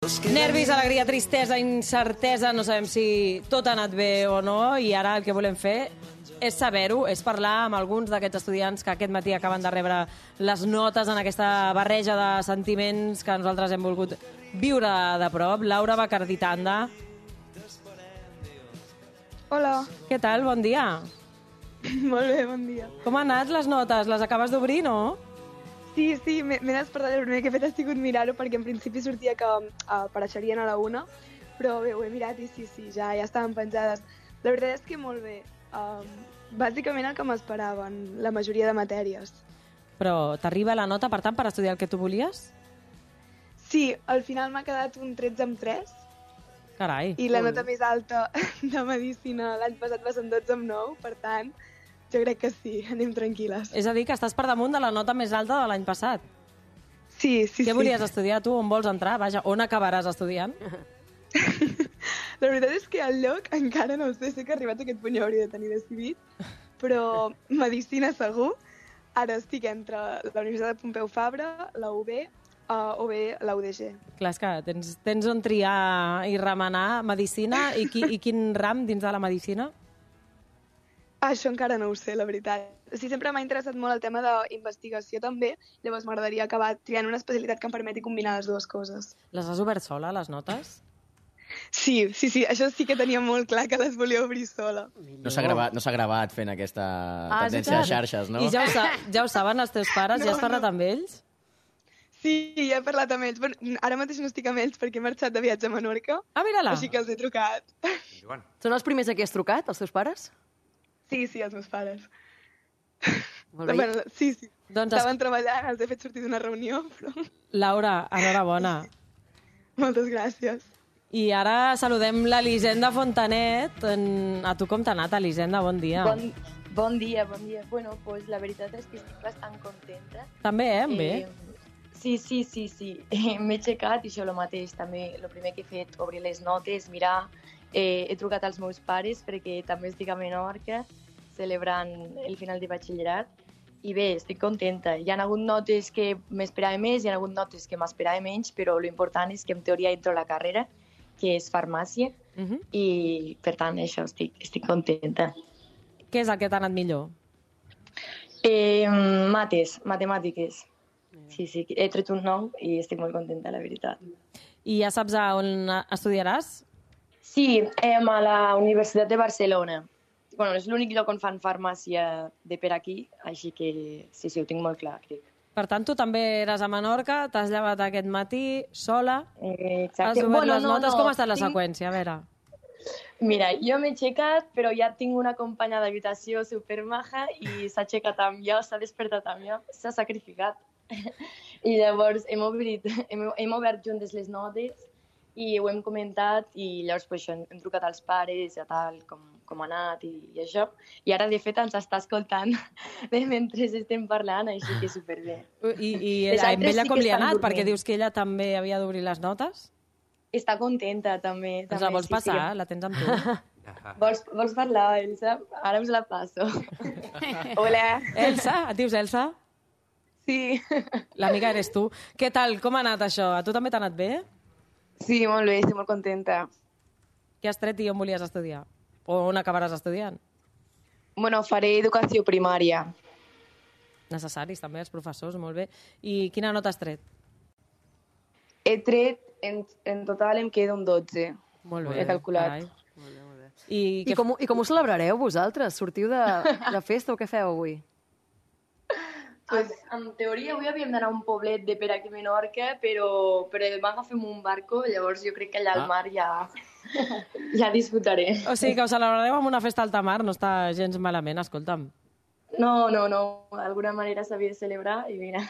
Nervis, alegria, tristesa, incertesa, no sabem si tot ha anat bé o no, i ara el que volem fer és saber-ho, és parlar amb alguns d'aquests estudiants que aquest matí acaben de rebre les notes en aquesta barreja de sentiments que nosaltres hem volgut viure de prop. Laura Bacarditanda. Hola. Què tal? Bon dia. Molt bé, bon dia. Com han anat les notes? Les acabes d'obrir, no? Sí, m'he despertat, el primer que he fet ha sigut mirar-ho perquè en principi sortia que apareixerien a la 1, però bé, ho he mirat i sí, ja estaven penjades. La veritat és que molt bé. Bàsicament el que m'esperaven, la majoria de matèries. Però t'arriba la nota, per tant, per estudiar el que tu volies? Sí, al final m'ha quedat un 13/3. Carai. I la nota més alta de Medicina l'any passat va ser un 12/9, per tant, jo crec que sí, anem tranquil·les. És a dir, que estàs per damunt de la nota més alta de l'any passat. Sí. Què volies estudiar tu? On vols entrar? Vaja, on acabaràs estudiant? La veritat és que el lloc encara no ho sé, sé que arribat a aquest punt ja hauria de tenir decidit, però Medicina segur. Ara estic entre la Universitat de Pompeu Fabra, la UB o bé la UDG. Clar, és que tens on triar i remenar Medicina i quin ram dins de la Medicina? Això encara no ho sé, la veritat. Sí, sempre m'ha interessat molt el tema d'investigació també, llavors m'agradaria acabar triant una especialitat que em permeti combinar les dues coses. Les has obert sola, les notes? Sí, això sí que tenia molt clar que les volia obrir sola. No s'ha gravat fent aquesta tendència de xarxes, no? I ja ho saben els teus pares? Ja has parlat amb ells? Sí, ja he parlat amb ells. Bueno, ara mateix no estic amb ells perquè he marxat de viatge a Menorca. Ah, mira-la! Així que els he trucat. Són els primers a qui has trucat, els teus pares? Sí, els meus pares. Molt bé. Bueno, sí. Doncs estaven treballant, els he fet sortir d'una reunió, però... Laura, enhorabona. Moltes gràcies. I ara saludem l'Elisenda Fontanet. A tu com t'ha anat, Elisenda? Bon dia. Bon dia. Bueno, pues la veritat és que estic bastant contenta. També, amb bé? Sí. M'he aixecat i això el mateix. També el primer que he fet, obrir les notes, mirar. He trucat als meus pares perquè també estic a Menorca celebrant el final de batxillerat i bé, estic contenta. Hi ha hagut notes que m'esperava més, hi ha hagut notes que m'esperava menys, però l'important és que en teoria entro a la carrera, que és farmàcia, i per tant això estic contenta. Què és el que t'ha anat millor? Matemàtiques. Sí, he tret un 9 i estic molt contenta, la veritat. I ja saps a on estudiaràs? Sí, a la Universitat de Barcelona. Bueno, és l'únic lloc on fan farmàcia de per aquí, així que sí, ho tinc molt clar, crec. Per tant, tu també eres a Menorca, t'has llevat aquest matí sola, Exacte. has obert les notes. Com ha estat la seqüència? A veure. Mira, jo m'he aixecat, però ja tinc una companya d'habitació supermaja i s'ha aixecat amb jo, s'ha despertat amb jo, s'ha sacrificat. I llavors hem obert juntes les notes i ho hem comentat i llavors pues, hem trucat als pares i tal, com ha anat i això. I ara, de fet, ens està escoltant mentre estem parlant, així que superbé. I amb ella com li ha anat? Perquè dius que ella també havia d'obrir les notes? Està contenta, també. Ens la vols passar? La tens amb tu? Vols parlar, Elsa? Ara us la passo. Hola. Elsa? Et dius Elsa? Sí. L'amiga eres tu. Què tal? Com ha anat això? A tu també t'ha anat bé? Sí, molt bé, estic molt contenta. Què has tret i on volies estudiar? O on acabaràs estudiant? Bueno, faré educació primària. Necessaris també, els professors, molt bé. I quina nota has tret? He tret, en total em queda un 12. Molt bé. He calculat. Carai. Molt bé. I com ho celebrareu vosaltres? Sortiu de festa o què feu avui? Pues, en teoria avui havíem d'anar a un poblet de per aquí a Menorca, però demà agafem un barco, llavors jo crec que allà al mar ja disfrutaré. O sigui que ho celebrareu amb una festa alta mar, no està gens malament, escolta'm. No, d'alguna manera s'havia de celebrar i mira.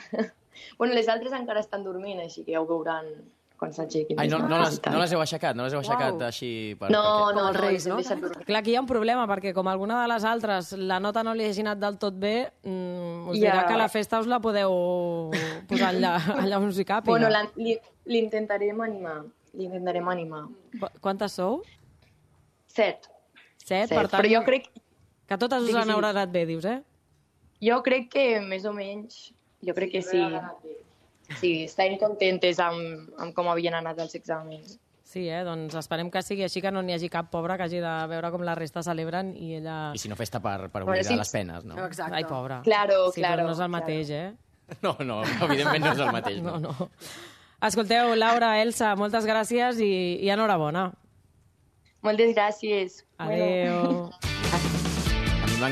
Bueno, les altres encara estan dormint, així que ja ho veuran quan s'aixequin. Ai, no les heu aixecat? No les heu aixecat així? No, els reis, no? Clar, aquí hi ha un problema, perquè com alguna de les altres la nota no li hagi anat del tot bé, us dirà que a la festa us la podeu posar allà on us hi càpiga. Bueno, l'intentarem animar. Quantes sou? 7. 7, per tant, però jo crec... que totes us han anat bé, dius, eh? Jo crec que més o menys, jo crec que sí. Sí, estem contentes amb com havien anat els exàmens. Sí, doncs esperem que sigui així, que no n'hi hagi cap pobra que hagi de veure com la resta celebren i ella... I si no, festa per oblidar les penes, no? Exacte. Ai, pobra. Claro, Sí, claro. però no és el mateix, No, evidentment no és el mateix. No. Escolteu, Laura, Elsa, moltes gràcies i enhorabona. Moltes gràcies. Adéu.